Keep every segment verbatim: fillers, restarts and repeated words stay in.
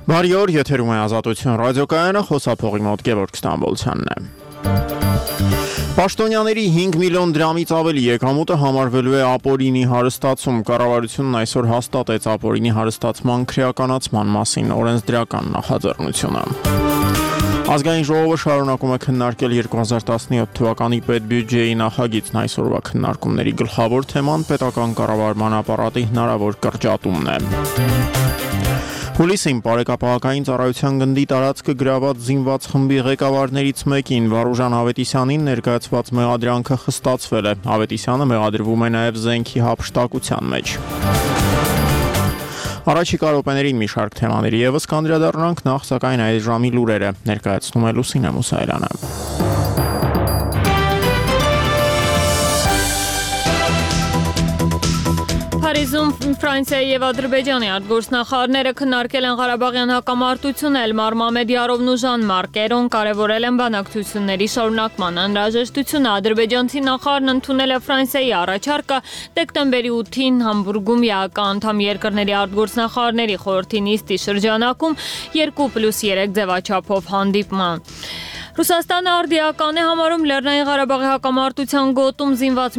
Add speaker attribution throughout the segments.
Speaker 1: Բարի օր, եթերում է Ազատություն ռադիոկայանը, խոսափողի մոտ Գևորգ Ստամբոլցյանն է։ Պաշտոնյաների հինգ միլիոն դրամից ավելի եկամուտը համարվելու է ապօրինի հարստացում։ Կառավարությունն այսօր հաստատեց ապօրինի հարստացման քրեականացման մասին օրենսդրական նախաձեռնությունը։ Ազգային ժողովը շարունակում է քննարկել երկու հազար տասնյոթ թվականի պետբյուջեի նախագիծն, այսօրվա քննարկումների գլխավոր թեման պետական կառավարման ապարատի հնարավոր կրճատումն է։ Հուլիսին Բարեկապահական ծառայության գնդի տարածքը գրաված զինված խմբի ղեկավարներից մեկին Վարուժան Ավետիսյանին ներկայացված մեղադրանքը խստացվել է։ Ավետիսյանը մեղադրվում է նաև զենքի հափշտակության մեջ։ Առաջիկա րոպեներին մի շարք թեմաների ևս կանդրադառնանք, նախ սակայն այս ժամի լուրերը ներկայացնում է Լուսինե Մուսայելյանը։
Speaker 2: Փարիզում Ֆրանսիայի եւ Ադրբեջանի արտգործնախարարները քննարկել են Ղարաբաղյան հակամարտությունը, Էլմար Մամեդյարովն ու Ժան-Մարկ Էրոն կարևորել են բանակցությունների շարունակման անհրաժեշտությունը։ Ադրբեջանցի նախարարն ընդունել է Ֆրանսիայի առաջարկը դեկտեմբերի ութին Համբուրգում ԵԱԿ-անդամ երկրների արտգործնախարարների խորհրդի նիստի շրջանակում երկու պլյուս երեք ձևաչափով հանդիպման։ Ռուսաստանը արդիական է համարում Լեռնային Ղարաբաղի հակամարտության գոտում զինված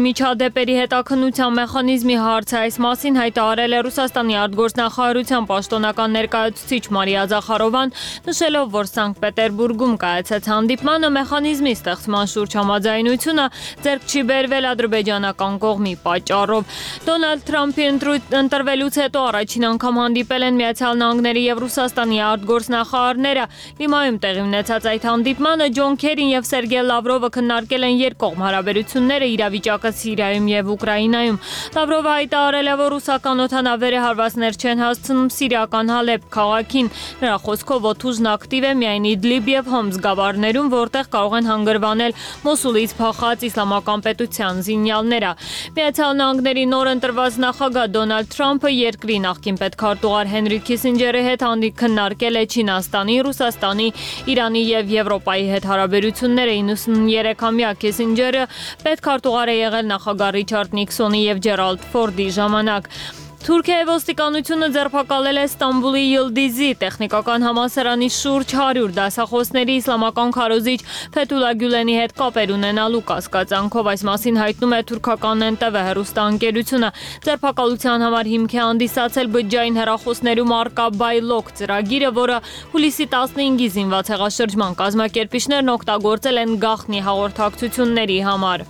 Speaker 2: միջադեպերի հետաքննության մեխանիզմի հարցը։ Այս մասին հայտարարել է Ռուսաստանի արտգործնախարարության պաշտոնական ներկայացուցիչ Մարիա Զախարովան, նշելով, որ Սանկտ Պետերբուրգում կայացած հանդիպմանը մեխանիզմի ստեղծման շուրջ համաձայնությունը ձեռք չի բերվել ադրբեջանական կողմի պատճառով։ Դոնալդ Թրամփի ընտրվելուց հետո առաջին անգամ հանդիպել են Միացյալ Նահանգների եւ Ռուսաստանի արտգործնախարարները։ Լիմայում տեղի ունեցած այդ հանդիպմանը Ջոն Քերին եւ Սերգեյ Լավրովը քննարկել են երկկողմ հարաբերությունները, իրավիճակը Սիրիայում եւ Ուկրաինայում։ Լավրովը հայտարարել է, որ ռուսական օդանավերը հարվածներ չեն հասցնում սիրիական Հալեբ քաղաքին։ Նրա խոսքով օդուժն ակտիվ է միայն Իդլիբ եւ Հոմս գավառներում, որտեղ կարող են հանգրվանել Մոսուլից փախած իսլամական պետության զինյալները։ Միացյալ Նահանգների նոր ընտրված նախագահ Դոնալդ Թրամփը երկրի նախկին պետքարտուղար Հենրի Քիսինջերի հետ հանդիպ քննարկել է Չինաստանի, Ռուսաստանի, Իրանի եւ Եվրոպայի հետ հարաբերությունները։ իննսուններեքամյա Քիսինջերը պետքարտուղար է եղել նախագահ Ռիչարդ Նիքսոնի եւ Ջերալդ Ֆորդի ժամանակ։ Թուրքիայի ոստիկանությունը ձերբակալել է Ստամբուլի Յիլդիզի տեխնիկական համալսարանի շուրջ հարյուր դասախոսների իսլամական քարոզիչ Ֆեթուլա Գյուլենի հետ կապեր ունենալու կասկածանքով։ Այս մասին հայտնում է թուրքական Էն Տե Վե հեռուստաընկերությունը։ Ձերբակալության համար հիմք է հանդիսացել բջջային հեռախոսներում առկա Բայլոկ ծրագիրը, որը հուլիսի տասնհինգի զինված հեղաշրջման կազմակերպիչներն օգտագործել են գաղտնի հաղորդակցությունների համար։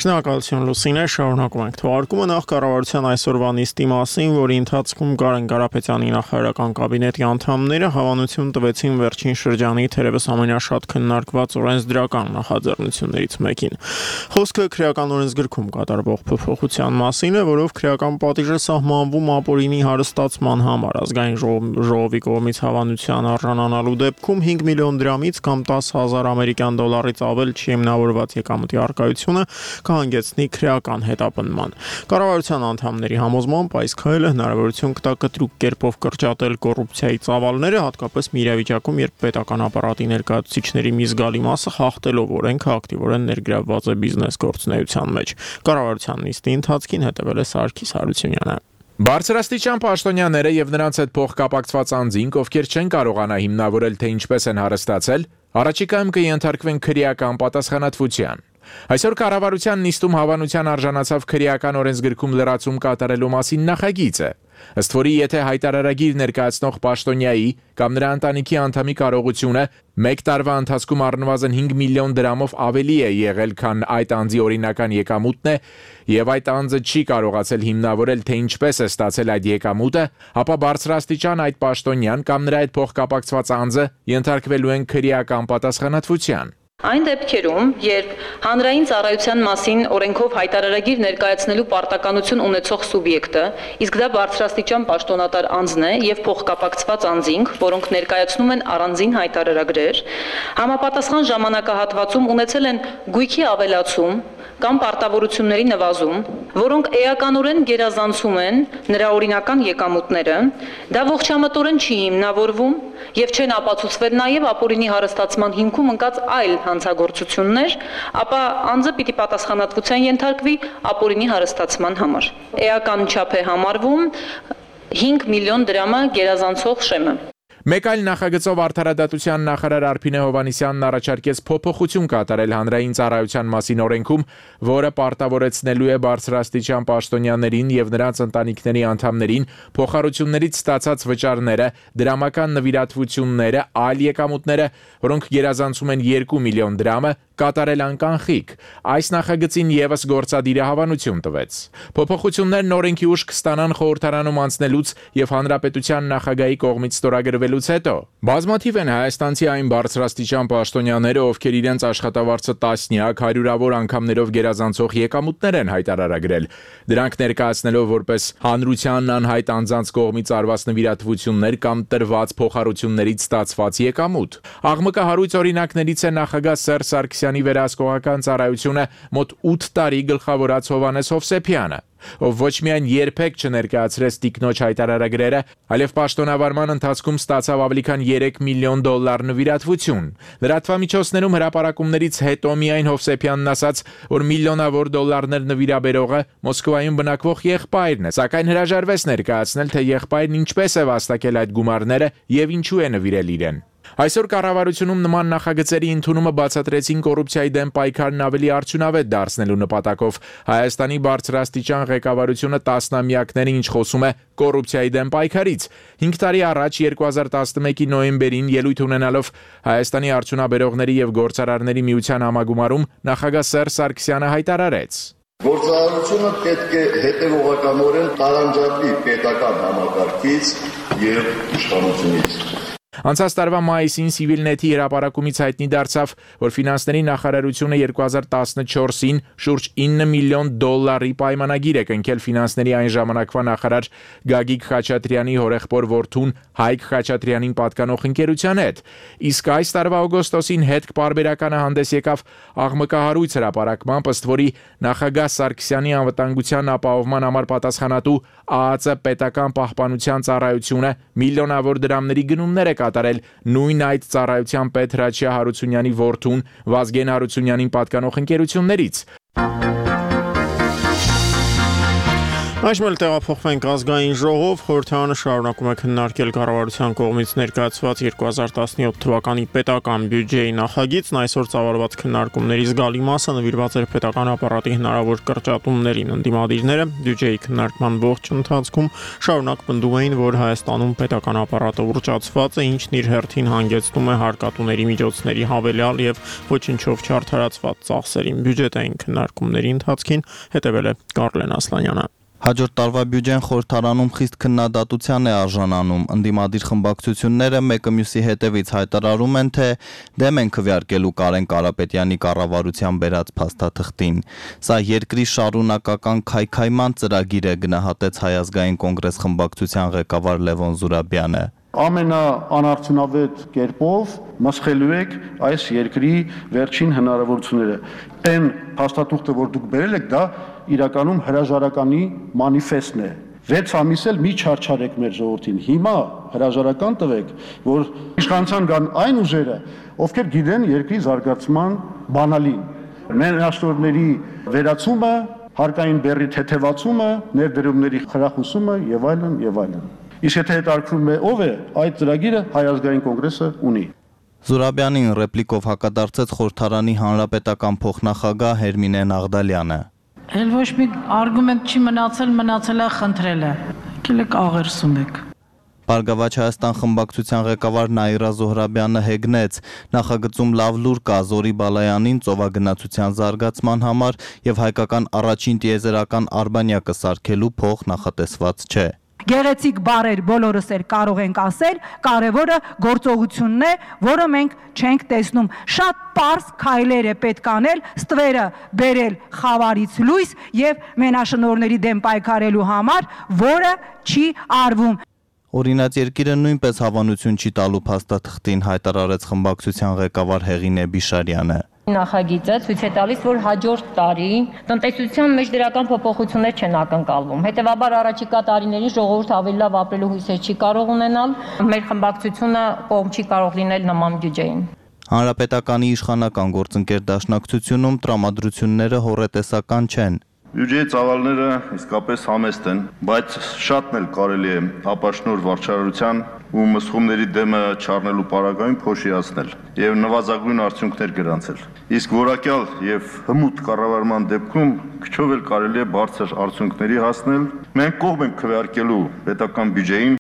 Speaker 1: Շնորհակալություն Լուսինե, շարունակում ենք թողարկումը նախ կառավարության այսօրվա նիստի մասին, որի ընթացքում Կարեն Կարապետյանի նախարարական կաբինետի անդամները հավանություն տվեցին վերջին շրջանի թերևս ամենաշատ քննարկված օրենսդրական նախաձեռնություններից մեկին։ Խոսքը քրեական օրենսգրքում կատարվող փոփոխության մասին է, որով քրեական պատիժը սահմանվում ապօրինի հարստացման համար։ Ազգային ժողովի կողմից հավանության արժանանալու դեպքում հինգ միլիոն դրամից կամ տասը հազար ամերիկյան դոլարից ավել չիմնավորված եկամտի առկայությունը կհանգեցնի քրեական հետապնդման։ Կառավարության անդամների համոզմամբ այս քայլը հնարավորություն կտա կտրուկ կերպով կրճատել կոռուպցիայի ծավալները, հատկապես մի իրավիճակում, երբ պետական ապարատի ներկայացուցիչների մի զգալի մասը խախտելով օրենքը ակտիվորեն ներգրավված է բիզնես գործունեության մեջ։ Կառավարության նիստի ընթացքին հետևել է Սարգիս Հարությունյանը։
Speaker 3: Բարձրաստիճան պաշտոնյաները եւ նրանց հետ փոխկապակցված անձինք, ովքեր չեն կարողանա հիմնավորել, թե ինչպես են հարստացել, առաջիկայում կենթարկվեն քրեական պատասխանատվության։ Այսօր կառավարության նիստում հավանության արժանացավ քրեական օրենսգրքում լրացում կատարելու մասին նախագիծը։ Ըստ որի, եթե հայտարարագիր ներկայացնող պաշտոնյայի կամ նրա ընտանիքի անդամի կարողությունը մեկ տարվա ընթացքում առնվազն հինգ միլիոն դրամով ավելի է եղել, քան այդ անձի օրինական եկամուտն է, եւ այդ անձը չի կարողացել հիմնավորել, թե ինչպես է ստացել այդ եկամուտը, ապա բարձրաստիճան այդ պաշտոնյան կամ նրա հետ փոխկապակցված անձը ենթարկվելու են քրեական պատասխանատվության։
Speaker 4: Այն դեպքերում, երբ հանրային ծառայության մասին օրենքով հայտարարագիր ներկայացնելու պարտականություն ունեցող սուբյեկտը, իսկ դա բարձրաստիճան պաշտոնատար անձն է եւ փոխկապակցված անձինք, որոնք ներկայացնում են առանձին հայտարարագրեր, համապատասխան ժամանակահատվածում ունեցել են գույքի ավելացում կամ պարտավորությունների նվազում, որոնք էականորեն գերազանցում են նրա օրինական եկամուտները, դա ողջամտորեն չի հիմնավորվում եւ չեն ապացուցվել նաեւ ապօրինի հարստացման հիմքում ընկած այլ հանցագործություններ, ապա անձը պիտի պատասխանատվության ենթարկվի ապօրինի հարստացման համար։ Էական չափ է համարվում հինգ միլիոն դրամը գերազանցող շեմը։
Speaker 3: Մեկ այլ նախագծով արդարադատության նախարար Արփինե Հովհաննիսյանն առաջարկեց փոփոխություն կատարել հանրային ծառայության մասին օրենքում, որը պարտավորեցնելու է բարձրաստիճան պաշտոնյաներին եւ նրանց ընտանիքների անդամներին փոխհարություններից ստացած վճարները, դրամական նվիրատվությունները, այլ եկամուտները, որոնք գերազանցում են երկու միլիոն դրամը, կատարել անկանխիկ։ Այս նախագծին եւս գործադիրը հավանություն տվեց։ Փոփոխություններն օրենքի ուժ կստանան խորհրդարանում անցնելուց եւ հանրապետության նախագահի կողմից ստորագրվելուց հետո։ Բազմաթիվ են հայաստանցի այն բարձրաստիճան պաշտոնյաները, ովքեր իրենց աշխատավարձը տասնյակ, հարյուրավոր անգամներով գերազանցող եկամուտներ են հայտարարագրել։ Դրանք ներկայացնելով որպես հանրության անհայտ անձանց կողմից արված նվիրատվություններ կամ տրված փոխհարություններից ստացված եկամուտ։ Աղմկահարույց օրինակներից է նախագահ Սերժ Սարգսյանի վերահսկողական ծառայությունը մոտ ութ տարի գլխավորած Հովհաննես Հովսեփյանը, ով ոչ միայն երբեք չներկայացրեց տիկնոջ հայտարարագրերը, այլև պաշտոնավարման ընթացքում ստացավ ավելի քան երեք միլիոն դոլար նվիրատվություն։ Լրատվամիջոցներում հրապարակումներից հետո միայն Հովսեփյանն ասաց, որ միլիոնավոր դոլարներ նվիրաբերողը Մոսկվայում բնակվող եղբայրն է, սակայն հրաժարվեց ներկայացնել, թե եղբայրն ինչպես է վաստակել այդ գումարները եւ ինչու է նվիրել իրեն։ Այսօր կառավարությունում նման նախագծերի ընդունումը բացատրեցին կոռուպցիայի դեմ պայքարն ավելի արդյունավետ դարձնելու նպատակով։ Հայաստանի բարձրաստիճան ղեկավարությունը տասնամյակներ ինչ խոսում է կոռուպցիայի դեմ պայքարից։ հինգ տարի առաջ երկու հազար տասնմեկի նոյեմբերին ելույթ ունենալով Հայաստանի արդյունաբերողների եւ գործարարների միության համագումարում նախագահ Սերժ Սարգսյանը հայտարարեց.
Speaker 5: Գործարարությունը պետք է հետևողականորեն տարանջատվի պետական համակարգից եւ իշխանությունից։
Speaker 3: Անցած տարվա մայիսին Civilnet-ի հրապարակումից հայտնի դարձավ, որ ֆինանսների նախարարությունը երկու հազար տասնչորսին շուրջ ինը միլիոն դոլարի պայմանագիր է կնքել ֆինանսների այն ժամանակվա նախարար Գագիկ Խաչատրյանի հորեղբոր որդուն Հայկ Խաչատրյանին պատկանող ընկերության հետ։ Իսկ այս տարվա օգոստոսին հետք պարբերականը հանդես եկավ աղմկահարույց հրապարակմամբ, ըստ որի նախագահ Սարգսյանի անվտանգության ապահովման համար պատասխանատու ԱԱԾ պետական պահպանության ծառայությունը միլիոնավոր դրամների գնումներ է կատարել նույն այդ ծառայության պետ Հրաչյա Հարությունյանի որդուն Վազգեն Հարությունյանին պատկանող ընկերություններից։
Speaker 1: Այժմ էլ տեղափոխվենք ազգային ժողով, խորհրդարանը շարունակում է քննարկել կառավարության կողմից ներկայացված երկու հազար տասնյոթ թվականի պետական բյուջեի նախագիծն, այսօր ծավալված քննարկումների զգալի մասը նվիրված էր պետական ապարատի հնարավոր կրճատումներին։ Ընդդիմադիրները բյուջեի քննարկման ողջ ընթացքում շարունակ պնդում էին, որ Հայաստանում պետական ապարատը ուռճացված է, ինչն իր հերթին հանգեցնում է հարկատուների միջոցների հավելյալ եւ ոչնչով չարդարացված ծախսերին։ Բյուջետային քննարկումների ընթացքին հետևել է Կարլեն Ասլանյանը։
Speaker 6: Հաջորդ տարվա բյուջեն խորհրդարանում խիստ քննադատության է արժանանում։ Ընդդիմադիր խմբակցությունները մեկը մյուսի հետևից հայտարարում են, թե դեմ են քվեարկելու Կարեն Կարապետյանի կառավարության բերած փաստաթղթին։ Սա երկրի շարունակական քայքայման ծրագիր է, գնահատեց Հայ ազգային կոնգրես խմբակցության ղեկավար Լևոն Զուրաբյանը։
Speaker 7: Ամենաանարդյունավետ կերպով մսխելու եք այս երկրի վերջին հնարավորությունները։ Այն փաստաթուղթը, որ դուք բերել եք, դա իրականում հրաժարականի մանիֆեստն է։ վեց ամիս էլ մի չարչարեք մեր ժողովրդին։ Հիմա հրաժարական տվեք, որ իշխանության կան այն ուժերը, ովքեր գիտեն երկրի զարգացման բանալին։ Մենաշնորհների վերացումը, հարկային բեռի թեթևացումը, ներդրումների խրախուսումը եւ այլն եւ այլն։ Իսկ եթե հետաքրքրում է ով է, այդ ծրագիրը Հայ ազգային կոնգրեսը ունի։
Speaker 6: Զուրաբյանին ռեպլիկով հակադարձեց խորհրդարանի հանրապետական փոխնախագահ Հերմինե Նաղդալյանը։
Speaker 8: Էլ ոչ մի արգումենտ չի մնացել, մնացել է խնդրելը։ Եկեք աղերսում եք։
Speaker 6: Բարգավաճ Հայաստան խմբակցության ղեկավար Նաիրա Զոհրաբյանը հեգնեց, նախագծում լավ լուր կա Զորի Բալայանին ծովագնացության զարգացման համար եւ հայկական առաջին տիեզերական արբանյակը սարքելու փող նախատեսված չէ։
Speaker 9: Գեղեցիկ բառեր բոլորս էլ կարող ենք ասել, կարևորը գործողությունն է, որը մենք չենք տեսնում։ Շատ պարզ քայլեր է պետք անել, ստվերը բերել խավարից լույս եւ մենաշնորհների դեմ պայքարելու համար, որը չի արվում։
Speaker 6: Օրինաց երկիրը նույնպես հավանություն չի տալու փաստաթղթին, հայտարարեց խմբակցության ղեկավար Հեղինե Բիշարյանը։
Speaker 4: Նախագիծը ցույց է տալիս, որ հաջորդ տարի տնտեսության մեջ դրական փոփոխություններ չեն ակնկալվում։ Հետևաբար առաջիկա տարիներին ժողովուրդը ավելի լավ ապրելու հույսեր չի կարող ունենալ։ Մեր խմբակցությունը կողմ չի կարող լինել նման բյուջեին։
Speaker 6: Հանրապետականի իշխանական գործընկեր դաշնակցությունում տրամադրությունները հոռետեսական չեն։
Speaker 5: Բյուջեի ծավալները իսկապես համեստ են, բայց շատն էլ կարելի է ապաշնոր վարչարարության ու մսխումների դեմը չառնելու պարագայում փոշիացնել եւ նվազագույն արդյունքներ գրանցել։ Իսկ որակյալ եւ հմուտ կառավարման դեպքում քչով էլ կարելի է բարձր արդյունքների հասնել։ Մենք կողմ ենք քվեարկելու պետական բյուջեին։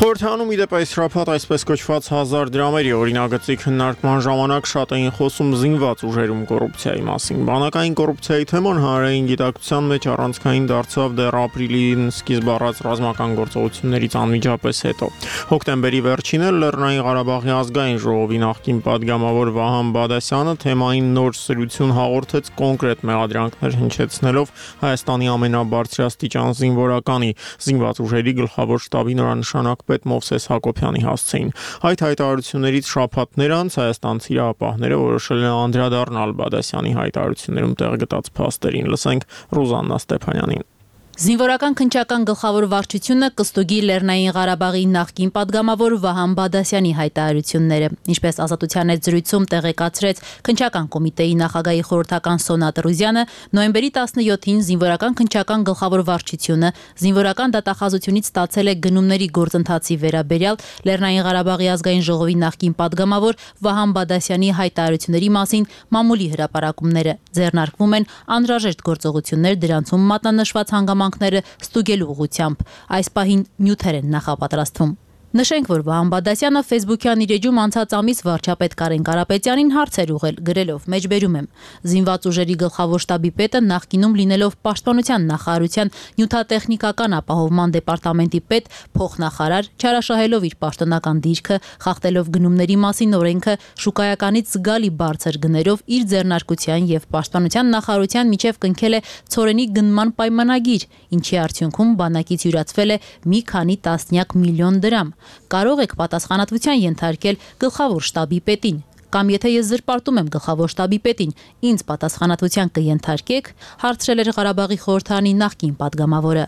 Speaker 1: Խորհրդանում ի դեպ այս շաբաթ այսպես կոչված հազար դրամերի օրինագծի քննարկման ժամանակ շատ էին խոսում զինված ուժերում կոռուպցիայի մասին։ Բանակային կոռուպցիայի թեման հանրային գիտակցության մեջ առանցքային դարձավ դեռ ապրիլին սկիզբ առած ռազմական գործողություններից անմիջապես հետո։ Հոկտեմբերի վերջին էլ Լեռնային Ղարաբաղի ազգային ժողովի նախկին падգամավոր Վահան Բադասյանը թեմային նոր սրություն հաղորդեց կոնկրետ մեղադրանքներ հնչեցնելով Հայաստանի ամենաբարձրաստիճան զինվորականի զինված ուժերի գլխավոր շտաբի նորանշանակ պետ Մովսես Հակոբյանի հասցեին։ Այդ հայտարարություններից շաբաթներ անց հայաստանցի իրավապահները որոշել են անդրադառնալ Բադասյանի հայտարարություններում տեղ գտած փաստերին։ Լսենք Ռուզաննա Ստեփանյանին։
Speaker 10: Զինվորական քննչական գլխավոր վարչությունը կստուգի Լեռնային Ղարաբաղի նախկին падգամավոր Վահան Բադասյանի հայտարարությունները, ինչպես Ազատության հետ զրույցում տեղեկացրեց քննչական կոմիտեի նախագահի խորհրդական Սոնա Տրուզյանը, նոյեմբերի տասնյոթին զինվորական քննչական գլխավոր վարչությունը զինվորական դատախազությունից ստացել է գնումների գործընթացի վերաբերյալ Լեռնային Ղարաբաղի ազգային ժողովի նախկին падգամավոր Վահան Բադասյանի հայտարարությունների մասին մամուլի հրապարակումները, ձեռնարկվում են անհրաժեշտ գործողություններ դրանցում մատնանշված հանգամանքները ստուգելու ուղղությամբ։ Այս պահին նյութեր են նախապատրաստվում։ Նշենք, որ Վահան Բադասյանը Facebook-յան իր էջում անցած ամիս վարչապետ Կարեն Կարապետյանին հարցեր ուղղել, գրելով. «Մեջբերում եմ. զինված ուժերի գլխավոր շտաբի պետը նախկինում լինելով Պաշտպանության նախարարության նյութատեխնիկական ապահովման դեպարտամենտի պետ, փոխնախարար, չարաշահելով իր պաշտոնական դիրքը, խախտելով գնումների մասին օրենքը, շուկայականից զգալի բարձր գներով իր ձեռնարկության եւ Պաշտպանության նախարարության միջև կնքել է ցորենի գնման պայմանագիր, ինչի արդյունքում բանակից յուրացվել է մի քանի տասնյակ միլիոն դրամ։ Կարող եք պատասխանատվության ենթարկել գլխավոր շտաբի պետին, կամ եթե ես զրպարտում եմ գլխավոր շտաբի պետին, ինձ պատասխանատվության կենթարկեք», հարցրել էր Ղարաբաղի խորհրդարանի նախկին падգամավորը։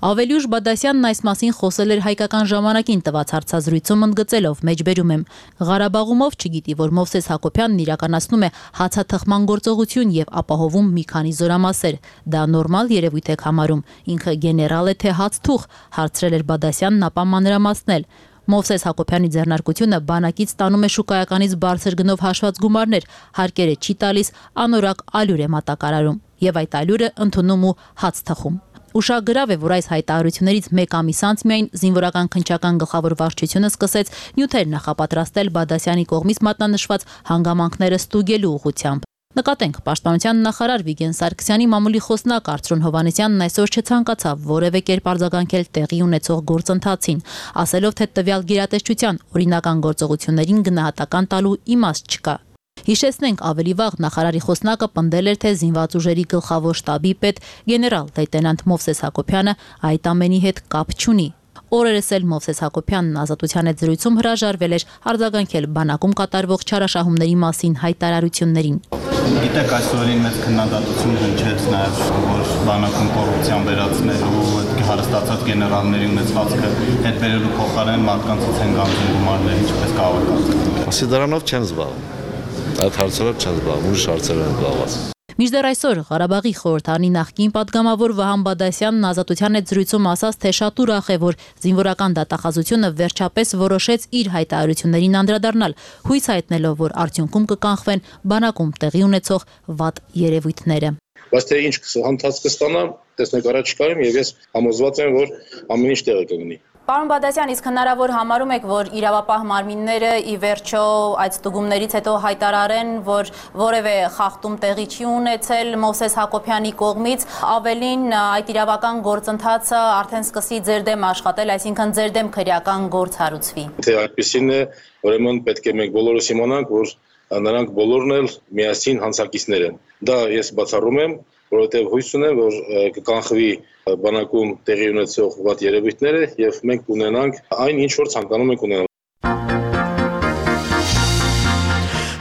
Speaker 10: Ավելի ուշ Բադասյանն այս մասին խոսել էր Հայկական ժամանակին տված հարցազրույցում ընդգծելով. «Մեջբերում եմ. Ղարաբաղում ով չգիտի, որ Մովսես Հակոբյանն իրականացնում է հացաթխման գործողություն եւ ապահովում մի քանի զորամասեր։ Դա նորմալ երևույթ եք համարում, ինքը գեներալ է թե հացթուղ», հարցրել էր Բադասյանն, ապա մանրամասնել. Մովսես Հակոբյանի ձեռնարկությունը բանակից ստանում է շուկայականից բարձր գնով հաշված գումարներ, հարկերը չի տալիս, անորակ ալյուր է մատակարարում եւ այդ ալյուրը ընդունում ու հաց թխում։ Ուշագրավ է, որ այս հայտարարություններից մեկ ամիս անց միայն զինվորական քննչական գլխավոր վարչությունը սկսեց նյութեր նախապատրաստել Բադասյանի կողմից մատնանշված հանգամանքները ստուգելու ուղղությամբ։ Նկատենք, Պաշտպանության նախարար Վիգեն Սարգսյանի մամուլի խոսնակ Արծրուն Հովհաննիսյանն այսօր չցանկացավ որևէ կերպ արձագանքել տեղի ունեցող գործընթացին, ասելով, թե տվյալ գերատեսչության օրինական գործողություններին գնահատական տալու իմաստ չկա։ Հիշեցնենք, ավելի վաղ նախարարի խոսնակը պնդել էր, թե զինված ուժերի գլխավոր շտաբի պետ գեներալ լեյտենանտ Մովսես Հակոբյանը այդ ամենի հետ կապ չունի։ Օրերս էլ Մովսես Հակոբյանն Ազատության հետ զրույցում հրաժարվել էր արձագանքել բանակում կատարվող չարաշահումների մասին հայտարարություններին։
Speaker 6: Գիտեք, այսօրին մեծ քննադատություն հնչեց նաև, որ բանակում կոռուպցիան վերացնելու, հարստացած գեներալների ունեցվածքը հետ բերելու փոխարեն մարդկանցից են գանձում գումարներ, ինչպես կարող եք հասկանալ։
Speaker 11: Ասի դրանով չեն զբաղվում։ Այդ հարցերով չեն զբաղվում, ուրիշ հարցերով են զբաղված։
Speaker 10: Մինչդեռ այսօր Ղարաբաղի խորհրդարանի նախկին падգամավոր Վահան Բադասյանն Ազատության հետ զրույցում ասաց, թե շատ ուրախ է, որ զինվորական դատախազությունը վերջապես որոշեց իր հայտարարություններին անդրադառնալ, հույս հայտնելով, որ արդյունքում կկանխվեն բանակում տեղի ունեցող վատ երևույթները։
Speaker 12: Բայց թե ինչ հանդած կստանա, տեսնեք առաջիկայում եւ ես համոզված եմ, որ ամեն ինչ տեղը կգնի։
Speaker 10: Պարոն Բադասյան, իսկ հնարավոր համարում եք, որ իրավապահ մարմինները ի վերջո այդ ստուգումներից հետո հայտարարեն, որ որևէ խախտում տեղի չի ունեցել Մովսես Հակոբյանի կողմից, ավելին այդ իրավական գործընթացը արդեն սկսի ձեր դեմ աշխատել, այսինքն ձեր դեմ քրեական գործ հարուցվի։
Speaker 12: Թե այդպեսին է, ուրեմն պետք է մենք բոլորս իմանանք, որ նրանք բոլորն էլ միասին հանցակիցներ են։ Դա ես բացառում եմ, որովհետև հույս ունեմ, որ կկանխվի բանակում տեղի ունեցող վատ երևույթները եւ մենք ունենանք այն ինչ որ ցանկանում ենք ունենալ։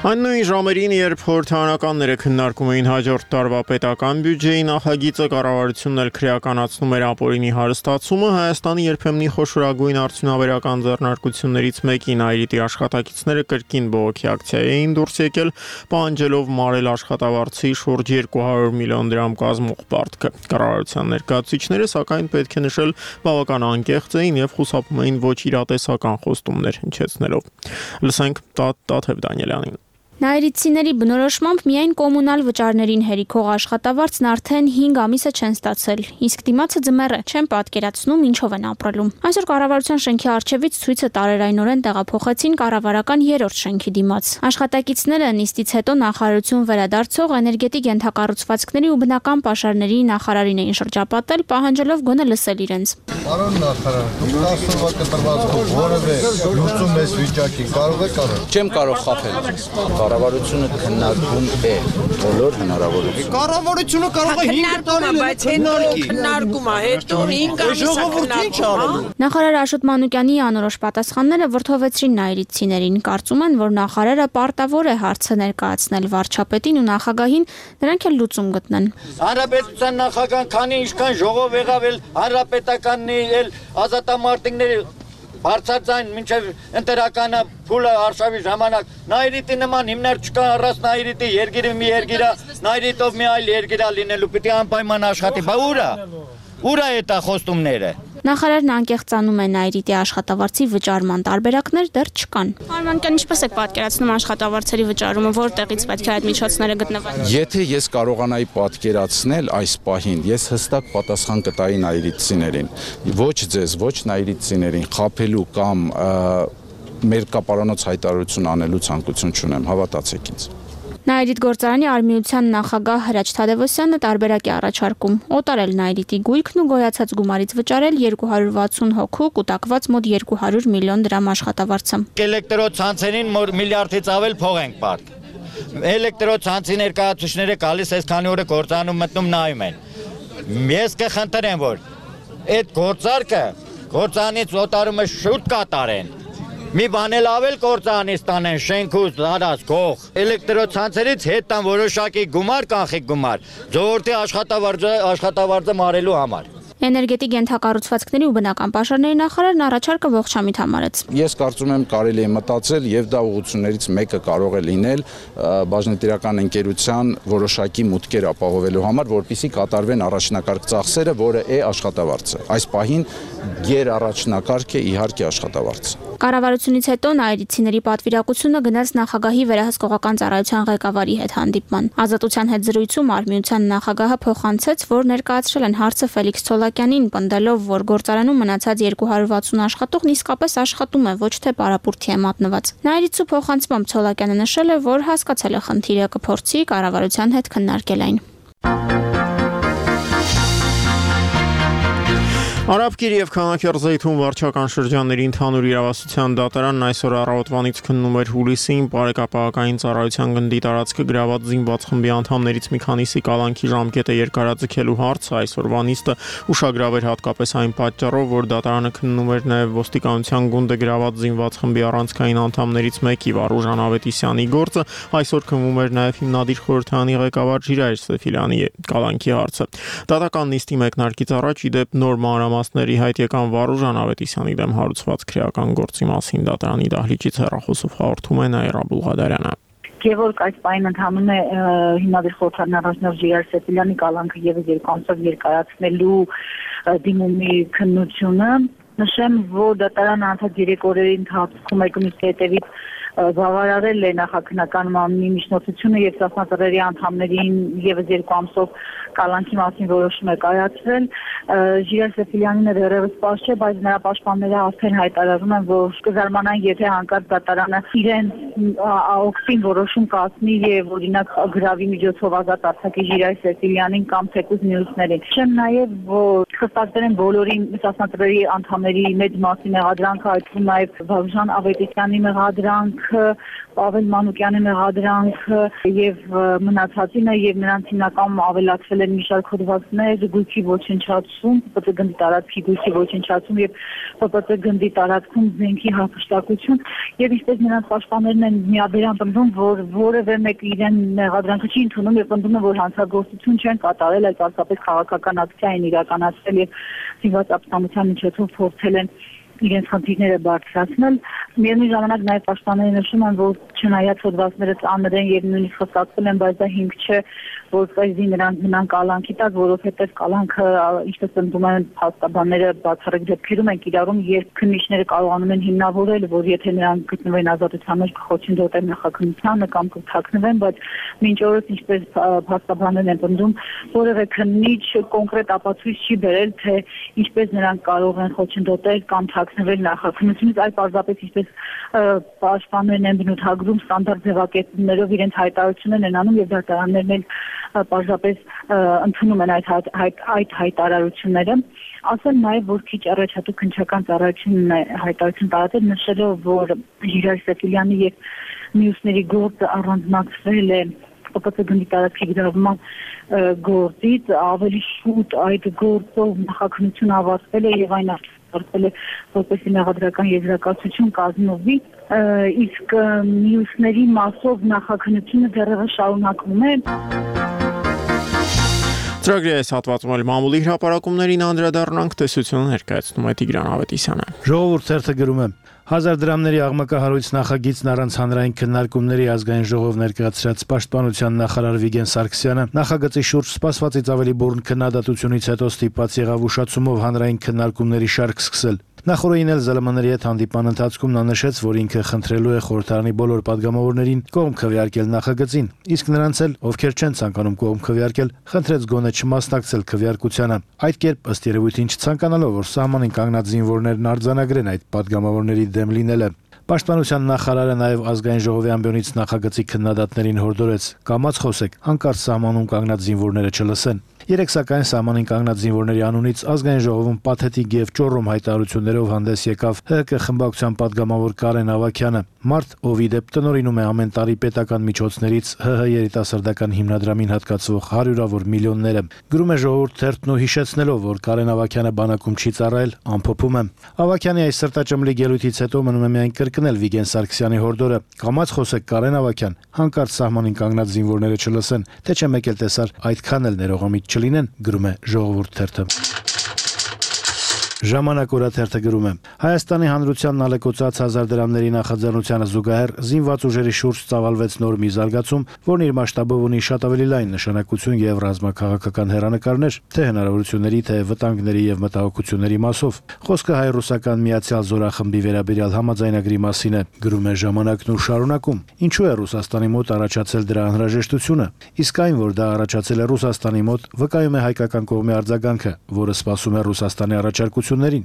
Speaker 1: Այն նույն ժամերին, երբ խորհրդարանականները քննարկում էին հաջորդ տարվա պետական բյուջեի նախագիծը, կառավարությունն էլ քրեականացնում էր ապօրինի հարստացումը, Հայաստանի երբեմնի խոշորագույն արդյունաբերական ձեռնարկություններից մեկին Այրիտի աշխատակիցները կրկին բողոքի ակցիա էին դուրս եկել, պահանջելով մարել աշխատավարձի շուրջ երկու հարյուր միլիոն դրամ կազմող պարտքը։ Կառավարության ներկայացուցիչները, սակայն, պետք է նշել, բավական անկեղծ էին եւ խուսափում էին ոչ իրատեսական խոստումներ հնչեցնելով։ Լսենք Տաթև Դանիելյանին։
Speaker 13: Նայիրիցիների բնորոշմամբ միայն կոմունալ վճարներին հերիքող աշխատավարձն արդեն հինգ ամիսը չեն ստացել, իսկ դիմացը ձմեռ է, չեն պատկերացնում ինչով են ապրելու։ Այսօր կառավարության շենքի առջևից ցույցը տարերայնորեն տեղափոխեցին կառավարական երրորդ շենքի դիմաց։ Աշխատակիցները նիստից հետո նախարարություն վերադարձող էներգետիկ ենթակառուցվածքների ու բնական պաշարների նախարարին էին շրջապատել, պահանջելով գոնե լսել իրենց։
Speaker 14: Պարոն նախարար, դուք ասում եք կտրվածքով որևէ լուծում էս վիճակի կարող եք անել։ Չեմ կարող խաբել։ Կառավարությունը քննարկում է բոլոր հնարավորությունները։ Կառավարությունը կարող է հինգ տարի, բայց հետո քննարկում է, հետո հինգ ամիս քննարկում։
Speaker 13: Նախարար Աշոտ Մանուկյանի անորոշ պատասխանները վրդովեցրին նայիրիցիներին, կարծում են, որ նախարարը պարտավոր է հարցը ներկայացնել վարչապետին ու նախագահին, նրանք էլ լուծում գտնեն։
Speaker 14: Հանրապետության նախագահան քանի ինչքան ժողով եղավ էլ հանրապետականն էլ ազատամարտիկների բարձրացան մինչև ընտրականը փուլը արշավի ժամանակ Նայիրիտի նման հիմնարկ չկա առանց Նայիրիտի երգիրը մի երգիրա Նայիրիտով մի այլ երգիրա լինելու պիտի անպայման աշխատի բա ուրա ուրա է տա խոստումները
Speaker 13: Նախարարն անկեղծանում է Նայիրիտի աշխատավարձի վճարման տարբերակներ դեռ չկան։ Արմանքան ինչպես եք պատկերացնում աշխատավարձերի վճարումը, որտեղից պետք է այդ միջոցները գտնվեն։
Speaker 14: Եթե ես կարողանայի պատկերացնել այս պահին, ես հստակ պատասխան կտայի նայիրիտցիներին, ոչ ձեզ, ոչ նայիրիտցիներին խաբելու կամ մեր կապարանոց հայտարարություն անելու ցանկություն չունեմ, հավատացեք ինձ։
Speaker 13: Նայիրիտ գործարանի արմիության նախագահ Հրաչ Թադևոսյանը տարբերակ է առաջարկում օտարել Նայիրիտի գույքն ու գոյացած գումարից վճարել երկու հարյուր վաթսուն հոգու կուտակված մոտ երկու հարյուր միլիոն դրամ աշխատավարձը։
Speaker 14: Էլեկտրոցանցերին միլիարդից ավել փող ենք պարտք։ Էլեկտրոցանցի ներկայացուցիչները գալիս այսքանի օրը գործանում մտնում նայում են։ Ես կխնդրեմ, որ այդ գործարքը գործանից օտարումը շուտ կատարեն։ Մի բան էլ ավել գործանից տանեն շենքուց դարած գող էլեկտրոցանցերից հետ տան որոշակի գումար կանխիկ գումար ժողովրդի աշխատավարձը աշխատավարձը մարելու համար
Speaker 13: Էներգետիկ ենթակառուցվածքների ու բնական պաշարների նախարարն առաջարկը ողջամիտ համարեց։
Speaker 14: Ես կարծում եմ կարելի է մտածել եւ դա ուղղություններից մեկը կարող է լինել բաժնետիրական ընկերության որոշակի մուտքեր ապահովելու համար, որպեսզի կատարվեն առաջնակարգ ծախսերը, որը է աշխատավարձը։ Այս պահին ģեր առաջնակարգ է իհարկե աշխատավարձը։
Speaker 13: Կառավարությունից հետո նայիրիցիների պատվիրակությունը գնաց նախագահի վերահսկողական ծառայության ղեկավարի հետ հանդիպման։ Ազատության հետ զրույցում արմիության նախագահը փոխանցեց, որ ներկայացրել են հարցը Ֆելիքս Ցոլակյանին, պնդելով, որ գործարանում մնացած երկու հարյուր վաթսուն աշխատողն իսկապես աշխատում է, ոչ թե պարապուրդի է մատնված։ Նայիրիցու փոխանցմամբ Ցոլակյանը նշել է, որ հասկացել է խնդիրը, կփորձի կառավարության հետ քննարկել այն։
Speaker 1: Արաբկիր եւ Քանաքերձեյթուն վարչական շրջանների ընդհանուր իրավասության դատարանն այսօր առավոտվանից քննում էր հուլիսին բարեկապահական ծառայության գնդի տարածքը գրաված զինված խմբի անդամներից մի քանիսի կալանքի ժամկետը երկարաձգելու հարցը այսօրվա նիստը ուշագրավ էր հատկապես այն պատճառով, որ դատարանը քննում էր նաեւ ոստիկանության գունդը գրաված զինված խմբի առանցքային անդամներից մեկի Վարուժան Ավետիսյանի գործը, այսօր քննում էր նաեւ հիմնադիր խորհրդանի ղեկավար Ժիրայր Սեֆիլյանի կալանքի հարցը։ Դատական նիստի մեկնարկից առաջ ի դեպ նոր մանրամասների հայտ եկան Վարուժան Ավետիսյանի դեմ հարուցված քրեական գործի մասին դատարանի դահլիճից հեռախոսով հաղորդում է Նաիրա Բուլղադարյանը։
Speaker 15: Գևորգ այս պայն ընթանում է հիմնադիր խորհրդարանի առաջնորդ Ժիրայր Սեֆիլյանի կալանքը եւս երկու ամսով երկարացնելու դիմումի քննությունը։ Նշեմ, որ դատարանը անցած երեք օրերի ընթացքում եկամուտի հետևից բավարարել է նախաքննական մամլի միջնորդությունը եւ ծախսածռերի անդամներին եւս երկու ամսով կալանքի մասին որոշում է կայացրել։ Ժիրայր Սեֆիլյանին դեռևս պաշտ չէ, բայց նրա պաշտպանները արդեն հայտարարում են, որ կզարմանան, եթե հանկարծ դատարանը իրեն օգտին որոշում կազմի եւ օրինակ գրավի միջոցով ազատ արձակի Ժիրայր Սեֆիլյանին կամ թեկուզ մյուսներին։ Չեմ նաեւ, որ խստացել են բոլորի միսասնատրերի անդամների մեծ մասի մեղադրանքը, այդ թվում նաև Վաղժան Ավետիսյանի մեղադրանքը, Պավել Մանուկյանի մեղադրանքը եւ մնացածինը եւ նրանց հիմնական ավելացվել են մի շարք հոդվածներ, գույքի ոչնչացում, Պ Ծ գնդի տարածքի գույքի ոչնչացում եւ Պ Ծ գնդի տարածքում զենքի հափշտակություն եւ ինչպես նրանց պաշտպաններն են միաբերան պնդում, որ որևէ մեկ իրեն մեղադրանքը չի ընդունում եւ պնդում է, որ հանցագործություն չեն կատարել, այլ պարզապես քաղաքական ակցիա են իրականացրել եւ զինված ապստամբության միջոցով փորձել են իրենց խնդիրները բարձրացնել։ Միևնույն ժամանակ նաև պաշտպանները նշում են, որ չնայած հոդվածները ծանր են եւ նույնիսկ խստացվել են, բայց դա հիմք չէ, որպեսզի նրանք մնան կալանքի տակ, որովհետեւ կալանքը, ինչպես ընդդում են փաստաբանները, բացառիկ դեպքերում են կիրառում, երբ քննիչները կարողանում են հիմնավորել, որ եթե նրանք գտնվեն ազատության մեջ կխոչընդոտեն նախաքննությանը կամ կթաքնվեն, բայց մինչ օրս ինչպես փաստաբաններն են ընդդում, որևէ քննիչ կոնկրետ ապացույց չի բերել, թե ինչպես նրանք կարող են խոչընդոտել կամ թաքնվել նախաքննությունից, այլ պարզապես ինչպես պաշտպաններն են բնութագրում ստանդարտ ձևակերպումներով իրենց հայտարարություններն են անում եւ դատարաններն էլ պարզապես ընդունում են այդ այդ այդ հայտարարությունները։ Ասել նաև, որ քիչ առաջ հատուկ քննչական ծառայությունն է հայտարարություն տարածել, նշելով, որ Ժիրայր Սեֆիլյանի եւ մյուսների գործը առանձնացվել է Պ Ծ գնդի տարածքի գրավման գործից, ավելի շուտ այդ գործով նախաքննությունը ավարտվել է եւ այն արտադրվել է որպեսզի մեղադրական եզրակացություն կազմվի, իսկ մյուսների մասով նախաքննությունը դեռևս շարունակվում է։
Speaker 1: Ծրագրի այս հատվածում էլ մամուլի հրապարակումներին անդրադառնանք, տեսությունը ներկայացնում է Տիգրան Ավետիսյանը։
Speaker 16: Ժողովուրդ թերթը գրում է. Հազար դրամների աղմկահարույց նախագիծն առանց հանրային քննարկումների ազգային ժողով ներկայացրած պաշտպանության նախարար Վիգեն Սարգսյանը նախագծի շուրջ սպասվածից ավելի բուռն քննադատությունից հետո ստիպված եղավ ուշացումով հանրային քննարկումների շարք սկսել։ Նախորդին էլ Զ Լ Մ-ների հետ հանդիպան ընթացքում նա նշեց, որ ինքը խնդրելու է խորհրդարանի բոլոր պատգամավորներին կողմ քվեարկել նախագծին, իսկ նրանց էլ, ովքեր չեն ցանկանում կողմ քվեարկել, խնդրեց գոնե չմասնակցել քվեարկությանը։ Այդ կերպ ըստ երևույթին չցանկանալով, որ սահմանին կանգնած զինվորներն արձանագրեն այդ պատգամավորների դեմ լինելը։ Պաշտպանության նախարարը նաև ազգային ժողովի ամբիոնից նախագծի քննադատներին հորդորեց. «Կամաց խոսեք, հանկարծ սահմանում կանգնած զինվորները չլսեն»։ Երեք սակայն սահմանին կանգնած զինվորների անունից ազգային ժողովում պաթետիկ եւ ճոռոմ հայտարարություններով հանդես եկավ Հ Կ խմբակցության падգամավոր Կարեն Ավագյանը, մարդ, ով ի դեպ տնօրինում է ամեն տարի պետական միջոցներից Հ Հ երիտասարդական հիմնադրամին հատկացվող հարյուրավոր միլիոնները։ Գրում է Ժողովուրդ թերթն ու հիշեցնելով, որ Կարեն Ավագյանը բանակում չի ծառայել, ամփոփում է. Ավագյանի այս սրտաճմլի ելույթից հետո մնում է միայն կրկնել Վիգեն Սարգսյանի հորդորը. «Կամաց խոսեք, Կարեն Ավագյան, հանկարծ սահմանին կանգնած զինվորները չլսեն, թե չէ մեկ էլ տեսար այդքան էլ ներողամիտ չլինեն», գրում է Ժողովուրդ թերթը։ Ժամանակ օրաթերթը գրում է. Հայաստանի հանրությանն ալեկոծած հազար դրամների նախաձեռնությանը զուգահեռ զինված ուժերի շուրջ ծավալվեց նոր մի զարգացում, որն իր մասշտաբով ունի շատ ավելի լայն նշանակություն եւ ռազմաքաղաքական հեռանկարներ, թե հնարավորությունների, թե վտանգների եւ մտահոգությունների մասով։ Խոսքը հայ-ռուսական միացյալ զորախմբի վերաբերյալ համաձայնագրի մասին է, գրում է Ժամանակն ու շարունակում. Ինչու է Ռուսաստանի մոտ առաջացել դրա անհրաժեշտությունը, իսկ այն, որ դա առաջացել է Ռուսաստանի մոտ, վկայում է հայկական կողմի արձագանքը, որը սպասում է Ռուսաստանի առաջարկություններին։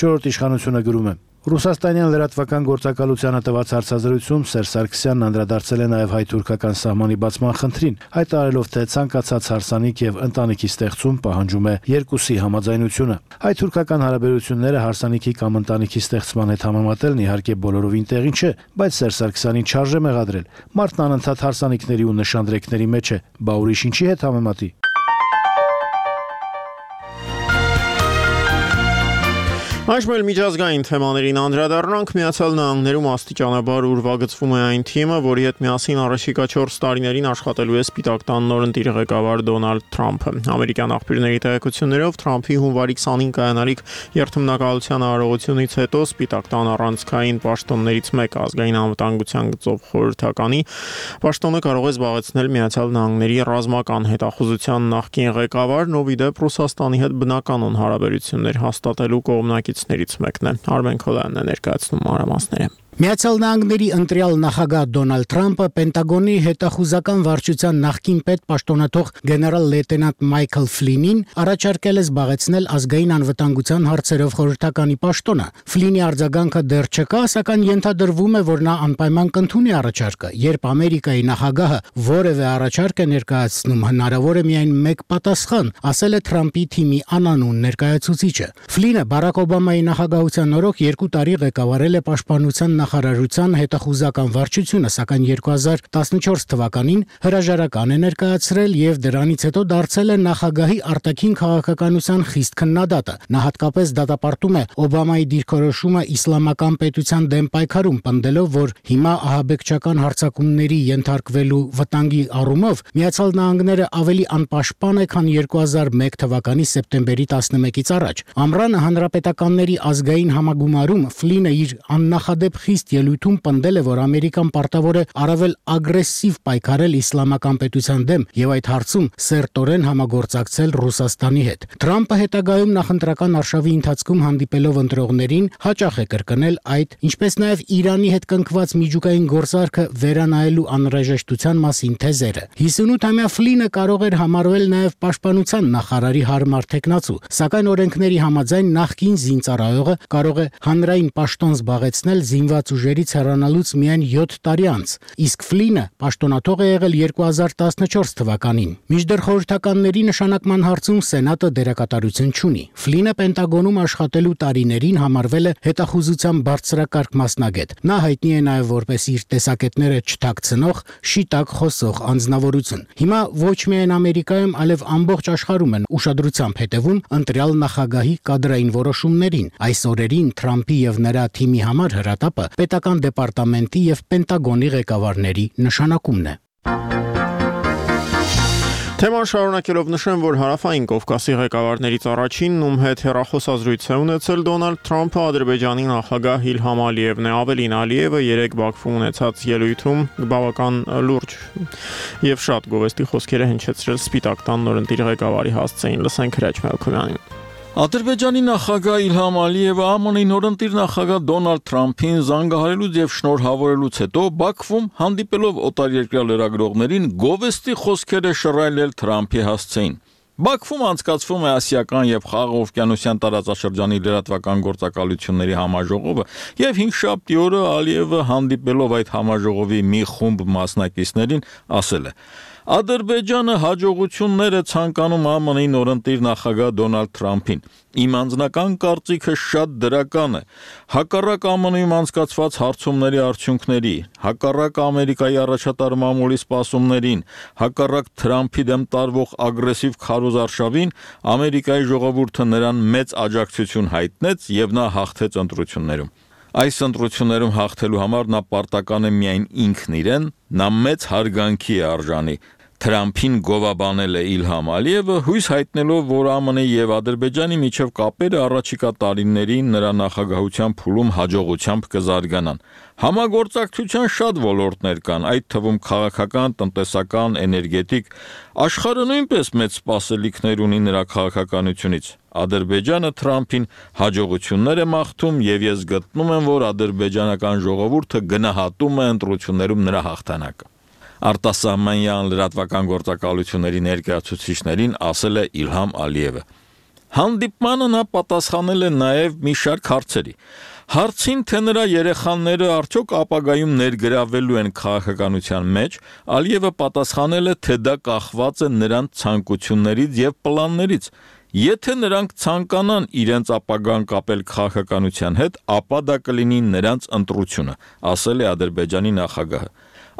Speaker 16: Չորրորդ իշխանությունը գրում է. Ռուսաստանյան լրատվական գործակալությանը տված հարցազրույցում Սերժ Սարգսյանն անդրադարձել է նաև հայ-թուրքական սահմանի բացման խնդրին, հայտարարելով, թե ցանկացած հարսանիք եւ ընտանիքի ստեղծում պահանջում է երկուսի համաձայնությունը։ Հայ-թուրքական հարաբերությունները հարսանիքի կամ ընտանիքի ստեղծման հետ համեմատելն իհարկե բոլորովին տեղին չէ, բայց Սերժ Սարգսյանին չարժե մեղադրել։ Մարդն անընդհատ հարսանիքների ու նշանդրեկների մեջ է, բա ուրիշ ինչի հետ համեմատի։
Speaker 1: Այժմ էլ միջազգային թեմաներին անդրադառնանք։ Միացյալ Նահանգներում աստիճանաբար ուրվագծվում է այն թիմը, որի հետ միասին առաջիկա չորս տարիներին աշխատելու է Սպիտակ տան նորընտիր ղեկավար Դոնալդ Թրամփը։ Ամերիկյան աղբյուրների տեղեկություններով Թրամփի հունվարի քսանինը կայանալիք երթմնակալության արարողությունից հետո Սպիտակ տան առանցքային պաշտոններից մեկը ազգային անվտանգության գծով խորհրդականի պաշտոնը կարող է զբաղեցնել Միացյալ Նահանգների ռազմական հետախուզության նախկին ղեկավարն, ով ի դեպ Ռուսաստանի հետ բնականon հարաբերություններ հաստատելու կողմնակիցներից մեկն է։ Արմեն Քոլյանն է ներկայացնում մանրամասները։
Speaker 17: Միացյալ Նահանգների ընտրյալ նախագահ Դոնալդ Թրամփը Պենտագոնի հետախուզական վարչության նախկին պետ պաշտոնաթող գեներալ լեյտենանտ Մայքլ Ֆլինին առաջարկել է զբաղեցնել ազգային անվտանգության հարցերով խորհրդականի պաշտոնը։ Ֆլինի արձագանքը դեռ չկա, սակայն ենթադրվում է, որ նա անպայման կընդունի առաջարկը։ Երբ Ամերիկայի նախագահը որևէ առաջարկ է ներկայացնում, հնարավոր է միայն մեկ պատասխան, ասել է Թրամփի թիմի անանուն ներկայացուցիչը։ Ֆլինը Բարակ Օբամայի նախագահության օրոք երկու տարի ղեկավարել է պաշտպանության նախարարության հետախուզական վարչությունը, սակայն երկու հազար տասնչորս թվականին հրաժարական է ներկայացրել եւ դրանից հետո դարձել է նախագահի արտաքին քաղաքականության խիստ քննադատը։ Նա հատկապես դատապարտում է Օբամայի դիրքորոշումը իսլամական պետության դեմ պայքարում, պնդելով, որ հիմա ահաբեկչական հարձակումների ենթարկվելու վտանգի առումով Միացյալ Նահանգները ավելի անպաշտպան է, քան երկու հազար մեկ թվականի սեպտեմբերի տասնմեկից առաջ։ Ամռանը հանրապետականների ազգային համագումարում Ֆլինը իր աննախադեպ խիստ ելույթում պնդել է, որ Ամերիկան պարտավոր է առավել ագրեսիվ պայքարել իսլամական պետության դեմ եւ այդ հարցում սերտորեն համագործակցել Ռուսաստանի հետ։ Թրամփը հետագայում նախընտրական արշավի ընթացքում հանդիպելով ընտրողներին հաճախ է կրկնել այդ, ինչպես նաեւ Իրանի հետ կնքված միջուկային գործարքը վերանայելու անհրաժեշտության մասին թեզերը։ հիսունութամյա Ֆլինը կարող էր համարվել նաեւ պաշտպանության նախարարի հարմար թեկնածու, սակայն օրենքների համաձայն նախկին զինծառայողը կարող է հանրային պաշտոն զբաղեցնել զինված ուժերից հեռանալուց միայն յոթ տարի անց, իսկ Ֆլինը պաշտոնաթող է եղել երկու հազար տասնչորս թվականին։ Մինչդեռ խորհրդականների նշանակման հարցում Սենատը դերակատարություն չունի։ Ֆլինը Պենտագոնում աշխատելու տարիներին համարվել է հետախուզության բարձրակարգ մասնագետ։ Նա հայտնի է նաև որպես իր տեսակետները չթաքցնող, շիտակ խոսող անձնավորություն։ Հիմա ոչ միայն Ամերիկայում, այլև ամբողջ աշխարհում են ուշադրությամբ հետևում ընտրյալ նախագահի կադրային որոշումներին։ Այս օրերին Թրամփի եւ նրա թիմի համար հրատապը պետական դեպարտամենտի եւ Պենտագոնի ղեկավարների նշանակումն է։
Speaker 1: Թեման շարունակելով նշեմ, որ Հարավային Կովկասի ղեկավարներից առաջինն, ում հետ հեռախոսազրույց է ունեցել Դոնալդ Թրամփը, Ադրբեջանի նախագահ Իլհամ Ալիևն է։ Ավելին, Ալիևը երեք Բաքվում ունեցած ելույթում բավական լուրջ եւ շատ գովեստի խոսքեր է հնչեցրել Սպիտակ տան նորընտիր ղեկավարի հասցեին։ Լսենք Հրաչ Մելքումյանին։
Speaker 18: Ադրբեջանի նախագահ Իլհամ Ալիևը Ա Մ Ն-ի նորընտիր նախագահ Դոնալդ Թրամփին զանգահարելուց եւ շնորհավորելուց հետո Բաքվում հանդիպելով օտարերկրյա լրագրողներին գովեստի խոսքեր է շռայլել Թրամփի հասցեին։ Բաքվում անցկացվում է ասիական եւ խաղաղօվկիանոսյան տարածաշրջանի լրատվական գործակալությունների համաժողովը եւ հինգշաբթի օրը Ալիևը հանդիպելով այդ համաժողովի մի խումբ մասնակիցներին ասել է. Ադրբեջանը հաջողություններ է ցանկանում Ա Մ Ն-ի նորընտիր նախագահ Դոնալդ Թրամփին։ Իմ անձնական կարծիքը շատ դրական է։ Հակառակ Ա Մ Ն-ում անցկացված հարցումների արդյունքների, հակառակ Ամերիկայի առաջատար մամուլի սպասումներին, հակառակ Թրամփի դեմ տարվող ագրեսիվ քարոզարշավին, Ամերիկայի ժողովուրդը նրան մեծ աջակցություն հայտնեց եւ նա հաղթեց ընտրություններում։ Այս ընտրություններում հաղթելու համար նա պարտական է միայն ինքն իրեն, նա մեծ հարգանքի է արժանի։ Թրամփին գովաբանել է Իլհամ Ալիևը, հույս հայտնելով, որ Ա Մ Ն-ի եւ Ադրբեջանի միջև կապերը առաջիկա տարիներին նրա նախագահության փուլում հաջողությամբ կզարգանան։ Համագործակցության շատ ոլորտներ կան, այդ թվում քաղաքական, տնտեսական, էներգետիկ։ Աշխարհը նույնպես մեծ սպասելիքներ ունի նրա քաղաքականությունից։ Ադրբեջանը Թրամփին հաջողություններ է մաղթում եւ ես գտնում եմ, որ ադրբեջանական ժողովուրդը գնահատում է ընտրություններում նրա հաղթանակը։ Արտասահմանյան լրատվական գործակալությունների ներկայացուցիչներին ասել է Իլհամ Ալիևը։ Հանդիպմանը նա պատասխանել է նաև մի շարք հարցերի։ Հարցին, թե նրա երեխաները արդյոք ապագայում ներգրավվելու են քաղաքականության մեջ, Ալիևը պատասխանել է, թե դա կախված է նրանց ցանկություններից եւ պլաններից։ Եթե նրանք ցանկանան իրենց ապագան կապել քաղաքականության հետ, ապա դա կլինի նրանց ընտրությունը, ասել է Ադրբեջանի նախագահը։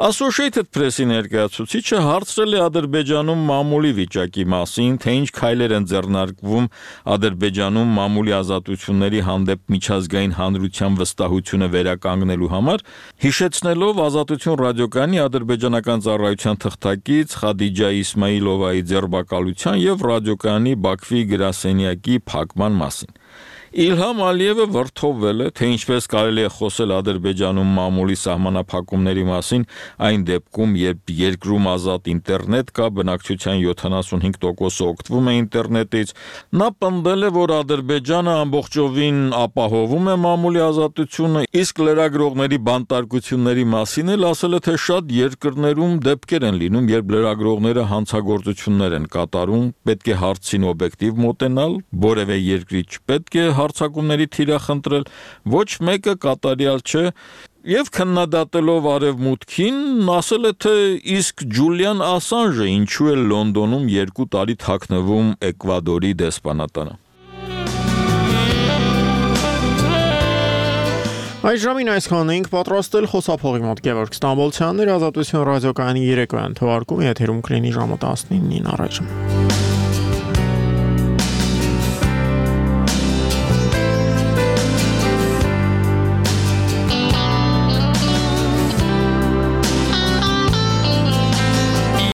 Speaker 18: Associated Press-ի ներկայացուցիչը հարցրել է Ադրբեջանում մամուլի վիճակի մասին, թե ինչ քայլեր են ձեռնարկվում Ադրբեջանում մամուլի ազատությունների հանդեպ միջազգային հանրության վստահությունը վերականգնելու համար, հիշեցնելով Ազատություն ռադիոկայանի ադրբեջանական ծառայության թղթակից Խադիջա Իսմայիլովայի ձերբակալության եւ ռադիոկայանի Բաքվի գրասենյակի փակման մասին։ Իլհամ Ալիևը վրդովվել է, թե ինչպես կարելի է խոսել Ադրբեջանում մամուլի սահմանափակումների մասին, այն դեպքում, երբ երկրում ազատ ինտերնետ կա, բնակչության յոթանասունհինգ տոկոսը օգտվում է ինտերնետից։ Նա պնդել է, որ Ադրբեջանը ամբողջովին ապահովում է մամուլի ազատությունը, իսկ լրագրողների բանտարկությունների մասին էլ ասել է, թե շատ երկրներում դեպքեր են լինում, երբ լրագրողները հանցագործություններ են կատարում, պետք է հարցին օբյեկտիվ մոտենալ, որևէ երկրի չպետք է հարձակումների թիրախնդրել, ոչ մեկը կատարյալ չէ, եւ քննադատելով արևմուտքին ասել է, թե իսկ Ջուլիան Ասանժը ինչու է Լոնդոնում երկու տարի թաքնվում Էկվադորի դեսպանատանը։
Speaker 1: Այս ժամին այսքանն էինք պատրաստել, խոսափողի մոտ Գևորգ Ստամբոլցյանն էր, Ազատություն ռադիոկայանի երեկոյան թողարկումը եթերում կլինի ժամը տասնինին առաջ։